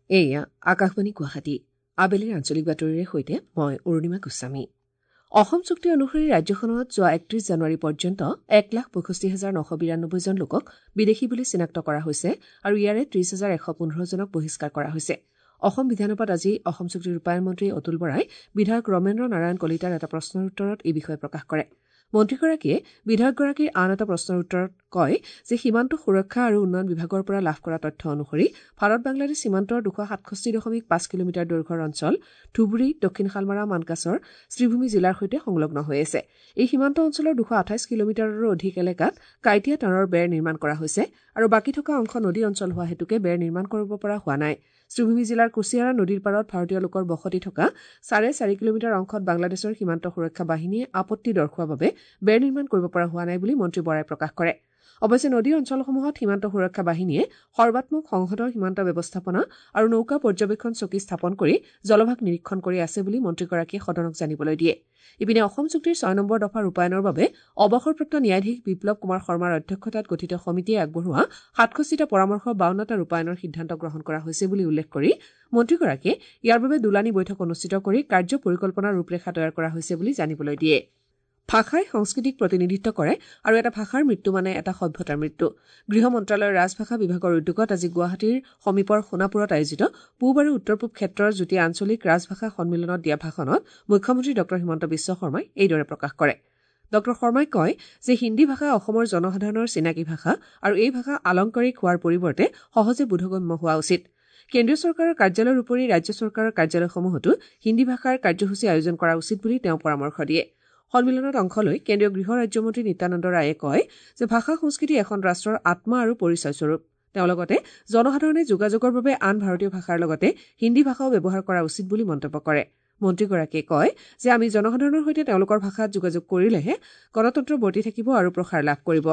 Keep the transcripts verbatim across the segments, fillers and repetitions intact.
এয়া আকাশবাণী গুৱাহাটী। আবেলিৰ আঞ্চলিক বাতৰিৰে সৈতে মই অৰুণিমা গোস্বামী। অসম চুক্তি অনুসৰি ৰাজ্যখনত যোৱা একত্ৰিশ জানুৱাৰী পৰ্যন্ত এক লাখ পঁয়ষষ্ঠি হাজাৰ নশ বিৰানব্বৈজন লোকক বিদেশী বুলি চিনাক্ত কৰা হৈছে আৰু ইয়াৰে ত্ৰিশ হাজাৰ এশ পোন্ধৰজনক বহিষ্কাৰ কৰা হৈছে। অসম বিধানসভাত আজি অসম চুক্তি ৰূপায়ণ মন্ত্ৰী অতুল বৰাই বিধায়ক ৰমেন্দ্ৰ নাৰায়ণ কলিতাৰ এটা প্ৰশ্নৰ উত্তৰত এই বিষয়ে প্ৰকাশ কৰে। মন্ত্ৰীগৰাকীয়ে বিধায়কগৰাকীৰ আন এটা প্ৰশ্নৰ উত্তৰত কয় যে সীমান্ত সুৰক্ষা আৰু উন্নয়ন বিভাগৰ পৰা লাভ কৰা তথ্য অনুসৰি ভাৰত বাংলাদেশ সীমান্তৰ দুশ সাতষষ্ঠি দশমিক পাঁচ কিলোমিটাৰ দৈৰ্ঘ্যৰ অঞ্চল ধুবুৰী, দক্ষিণ শালমাৰা, মানকাচৰ, শ্ৰীভূমি জিলাৰ সৈতে সংলগ্ন হৈ আছে। এই সীমান্ত অঞ্চলৰ দুশ আঠাইছ কিলোমিটাৰৰো অধিক এলেকাত কাঁইটীয়া তাঁৰৰ বেৰ নিৰ্মাণ কৰা হৈছে আৰু বাকী থকা অংশ নদী অঞ্চল হোৱা হেতুকে বেৰ নিৰ্মাণ কৰিব পৰা হোৱা নাই। শ্ৰীভূমি জিলাৰ কুছিয়াৰা নদীৰ পাৰত ভাৰতীয় লোকৰ বসতি থকা চাৰে চাৰি কিলোমিটাৰ অংশত বাংলাদেশৰ সীমান্ত সুৰক্ষা বাহিনীয়ে আপত্তি দৰ্শোৱাৰ বাবে বেৰ নিৰ্মাণ কৰিব পৰা হোৱা নাই বুলি মন্ত্ৰী বৰাই প্ৰকাশ কৰে। অৱশ্যে নদী অঞ্চলসমূহত সীমান্ত সুৰক্ষা বাহিনীয়ে সৰ্বাত্মক সংহত সীমান্ত ব্যৱস্থাপনা আৰু নৌকা পৰ্যবেক্ষণ চকী স্থাপন কৰি জলভাগ নিৰীক্ষণ কৰি আছে বুলি মন্ত্ৰীগৰাকীয়ে সদনক জানিবলৈ দিয়ে। ইপিনে অসম চুক্তিৰ ছয় নম্বৰ দফা ৰূপায়ণৰ বাবে অৱসৰপ্ৰাপ্ত ন্যায়াধীশ বিপ্লৱ কুমাৰ শৰ্মাৰ অধ্যক্ষতাত গঠিত সমিতিয়ে আগবঢ়োৱা সাতষষ্ঠিটা পৰামৰ্শ বাৱন্নটা ৰূপায়ণৰ সিদ্ধান্ত গ্ৰহণ কৰা হৈছে বুলি উল্লেখ কৰি মন্ত্ৰীগৰাকীয়ে ইয়াৰ বাবে দুলানি বৈঠক অনুষ্ঠিত কৰি কাৰ্য পৰিকল্পনাৰ ৰূপৰেখা তৈয়াৰ কৰা হৈছে বুলি জানিবলৈ দিয়ে। ভাষাই সংস্কৃতিক প্ৰতিনিধিত্ব কৰে আৰু এটা ভাষাৰ মৃত্যু মানে এটা সভ্যতাৰ মৃত্যু। গৃহ মন্ত্ৰালয়ৰ ৰাজভাষা বিভাগৰ উদ্যোগত আজি গুৱাহাটীৰ সমীপৰ সোণাপুৰত আয়োজিত পূব আৰু উত্তৰ পূব ক্ষেত্ৰৰ যুটীয়া আঞ্চলিক ৰাজভাষা সন্মিলনত দিয়া ভাষণত মুখ্যমন্ত্ৰী ডঃ হিমন্ত বিশ্ব শৰ্মাই এইদৰে প্ৰকাশ কৰে। ডঃ শৰ্মাই কয় যে হিন্দী ভাষা অসমৰ জনসাধাৰণৰ চিনাকি ভাষা আৰু এই ভাষা আলংকাৰিক হোৱাৰ পৰিৱৰ্তে সহজে বোধগম্য হোৱা উচিত। কেন্দ্ৰীয় চৰকাৰৰ কাৰ্যালয়ৰ উপৰি ৰাজ্য চৰকাৰৰ কাৰ্যালয়সমূহতো হিন্দী ভাষাৰ কাৰ্যসূচী আয়োজন কৰা উচিত বুলি তেওঁ পৰামৰ্শ দিয়ে। সন্মিলনত অংশ লৈ কেন্দ্ৰীয় গৃহ ৰাজ্যমন্ত্ৰী নিত্যানন্দ ৰায়ে কয় যে ভাষা সংস্কৃতি এখন ৰাষ্ট্ৰৰ আত্মা আৰু পৰিচয়স্বৰূপ। তেওঁ লগতে জনসাধাৰণে যোগাযোগৰ বাবে আন ভাৰতীয় ভাষাৰ লগতে হিন্দী ভাষাও ব্যৱহাৰ কৰা উচিত বুলি মন্তব্য কৰে। মন্ত্ৰীগৰাকীয়ে কয় যে আমি জনসাধাৰণৰ সৈতে তেওঁলোকৰ ভাষাত যোগাযোগ কৰিলেহে গণতন্ত্ৰ বৰ্তি থাকিব আৰু প্ৰসাৰ লাভ কৰিব।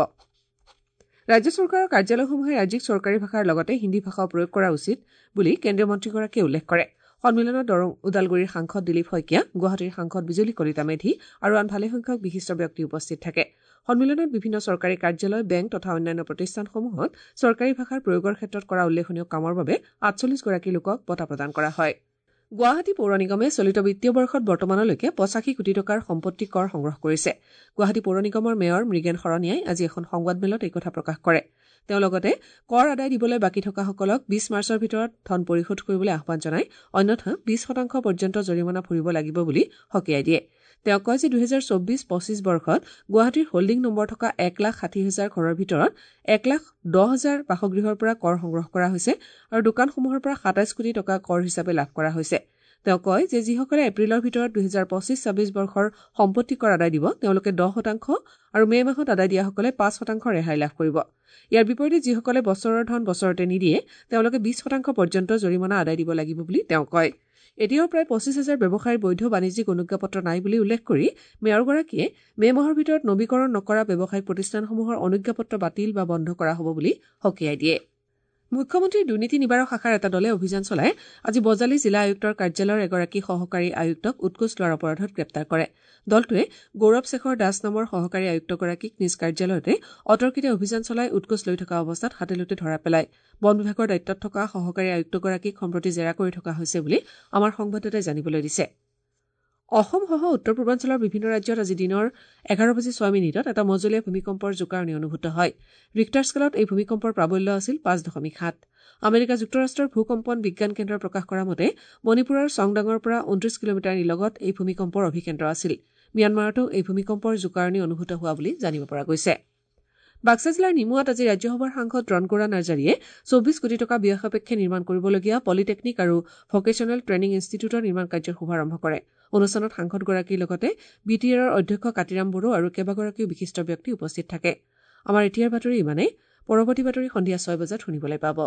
ৰাজ্য চৰকাৰৰ কাৰ্যালয়সমূহে ৰাজ্যিক চৰকাৰী ভাষাৰ লগতে হিন্দী ভাষাও প্ৰয়োগ কৰা উচিত বুলি কেন্দ্ৰীয় মন্ত্ৰীগৰাকীয়ে উল্লেখ কৰে। সন্মিলনত দৰং ওদালগুৰিৰ সাংসদ দিলীপ শইকীয়া, গুৱাহাটীৰ সাংসদ বিজুলী কলিতা মেধি আৰু আন ভালেসংখ্যক বিশিষ্ট ব্যক্তি উপস্থিত থাকে। সন্মিলনত বিভিন্ন চৰকাৰী কাৰ্যালয়, বেংক তথা অন্যান্য প্ৰতিষ্ঠানসমূহত চৰকাৰী ভাষাৰ প্ৰয়োগৰ ক্ষেত্ৰত কৰা উল্লেখনীয় কামৰ বাবে আঠচল্লিছগৰাকী লোকক বঁটা প্ৰদান কৰা হয়। গুৱাহাটী পৌৰ নিগমে চলিত বিত্তীয় বৰ্ষত বৰ্তমানলৈকে পঁচাশী কোটি টকাৰ সম্পত্তি কৰ সংগ্ৰহ কৰিছে। গুৱাহাটী পৌৰ নিগমৰ মেয়ৰ মৃগেন শৰণীয়াই আজি এখন সংবাদমেলত এই কথা প্ৰকাশ কৰে। তেওঁ লগতে কৰ আদায় দিবলৈ বাকী থকাসকলক বিশ মাৰ্চৰ ভিতৰত ধন পৰিশোধ কৰিবলৈ আহ্বান জনাই অন্যথা বিশ শতাংশ পৰ্যন্ত জৰিমনা ভৰিব লাগিব বুলি সকীয়াই দিয়ে। তেওঁ কয় যে দুহেজাৰ চৌব্বিছ পঁচিছ বৰ্ষত গুৱাহাটীৰ হোল্ডিং নম্বৰ থকা এক লাখ ষাঠি হাজাৰ ঘৰৰ ভিতৰত এক লাখ দহ হাজাৰ বাসগৃহৰ পৰা কৰ সংগ্ৰহ কৰা হৈছে আৰু দোকানসমূহৰ পৰা সাতাইছ কোটি টকা কৰ হিচাপে লাভ কৰা হৈছে। তেওঁ কয় যে যিসকলে এপ্ৰিলৰ ভিতৰত দুহেজাৰ পঁচিছ ছাব্বিছ বৰ্ষৰ সম্পত্তি কৰ আদায় দিব তেওঁলোকে দহ শতাংশ আৰু মে' মাহত আদায় দিয়াসকলে পাঁচ শতাংশ ৰেহাই লাভ কৰিব। ইয়াৰ বিপৰীতে যিসকলে বছৰৰ ধন বছৰতে নিদিয়ে তেওঁলোকে বিশ শতাংশ পৰ্যন্ত জৰিমনা আদায় দিব লাগিব বুলি তেওঁ কয়। এতিয়াও প্ৰায় পঁচিছ হাজাৰ ব্যৱসায়ীৰ বৈধ বাণিজ্যিক অনুজ্ঞাপত্ৰ নাই বুলি উল্লেখ কৰি মেয়ৰগৰাকীয়ে মে' মাহৰ ভিতৰত নবীকৰণ নকৰা ব্যৱসায়িক প্ৰতিষ্ঠানসমূহৰ অনুজ্ঞাপত্ৰ বাতিল বা বন্ধ কৰা হ'ব বুলি সকীয়াই দিয়ে। মুখ্যমন্ত্ৰীৰ দুৰ্নীতি নিবাৰক শাখাৰ এটা দলে অভিযান চলাই আজি বজালী জিলা আয়ুক্তৰ কাৰ্যালয়ৰ এগৰাকী সহকাৰী আয়ুক্তক উৎকোচ লোৱাৰ অপৰাধত গ্ৰেপ্তাৰ কৰে। দলটোৱে গৌৰৱ শেখৰ দাস নামৰ সহকাৰী আয়ুক্তগৰাকীক নিজ কাৰ্যালয়তে অতৰ্কিতে অভিযান চলাই উৎকোচ লৈ থকা অৱস্থাত হাতেলোটে ধৰা পেলায়। বন বিভাগৰ দায়িত্বত থকা সহকাৰী আয়ুক্তগৰাকীক সম্প্ৰতি জেৰা কৰি থকা হৈছে বুলি আমাৰ সংবাদদাতাই জানিবলৈ দিছে। অসমসহ উত্তৰ পূৰ্বাঞ্চলৰ বিভিন্ন ৰাজ্যত আজি দিনৰ এঘাৰ বাজি ছয় মিনিটত এটা মজলীয়া ভূমিকম্পৰ জোকাৰণি অনুভূত হয়। ৰিক্টাৰ স্কেলত এই ভূমিকম্পৰ প্ৰাবল্য আছিল পাঁচ দশমিক সাত। আমেৰিকা যুক্তৰাষ্ট্ৰৰ ভূকম্পন বিজ্ঞান কেন্দ্ৰই প্ৰকাশ কৰা মতে মণিপুৰৰ চংদাঙৰ পৰা ঊনত্ৰিশ কিলোমিটাৰ নিলগত এই ভূমিকম্পৰ অভিকেন্দ্ৰ আছিল। ম্যানমাৰতো এই ভূমিকম্পৰ জোকাৰণি অনুভূত হোৱা বুলি জানিব পৰা গৈছে। বাক্সা জিলাৰ নিমুৱাত আজি ৰাজ্যসভাৰ সাংসদ ৰণগৌৰা নাৰ্জাৰীয়ে চৌবিশ কোটি টকা ব্যয় সাপেক্ষে নিৰ্মাণ কৰিবলগীয়া পলিটেকনিক আৰু ভকেচনেল ট্ৰেইনিং ইনষ্টিটিউটৰ নিৰ্মাণ কাৰ্যৰ শুভাৰম্ভ কৰে। অনুষ্ঠানত সাংসদগৰাকীৰ লগতে বি টি আৰৰ অধ্যক্ষ কাতিৰাম বড়ো আৰু কেইবাগৰাকীও বিশিষ্ট ব্যক্তি উপস্থিত থাকে। আমাৰ এতিয়াৰ বাতৰি ইমানেই। পৰৱৰ্তী বাতৰি সন্ধিয়া ছয় বজাত শুনিবলৈ পাব।